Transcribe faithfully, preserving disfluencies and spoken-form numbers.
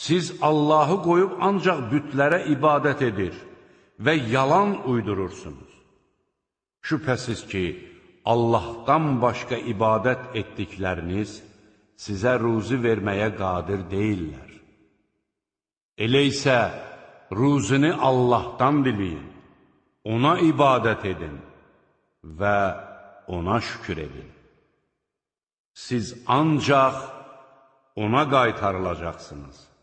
Siz Allahı qoyub ancaq bütlərə ibadət edir və yalan uydurursunuz. Şübhəsiz ki, Allahdan başqa ibadət etdikləriniz sizə ruzi verməyə qadir deyillər. Elə isə ruzini Allahdan diləyin, ona ibadət edin və ona şükür edin. Siz ancaq ona qaytarılacaqsınız.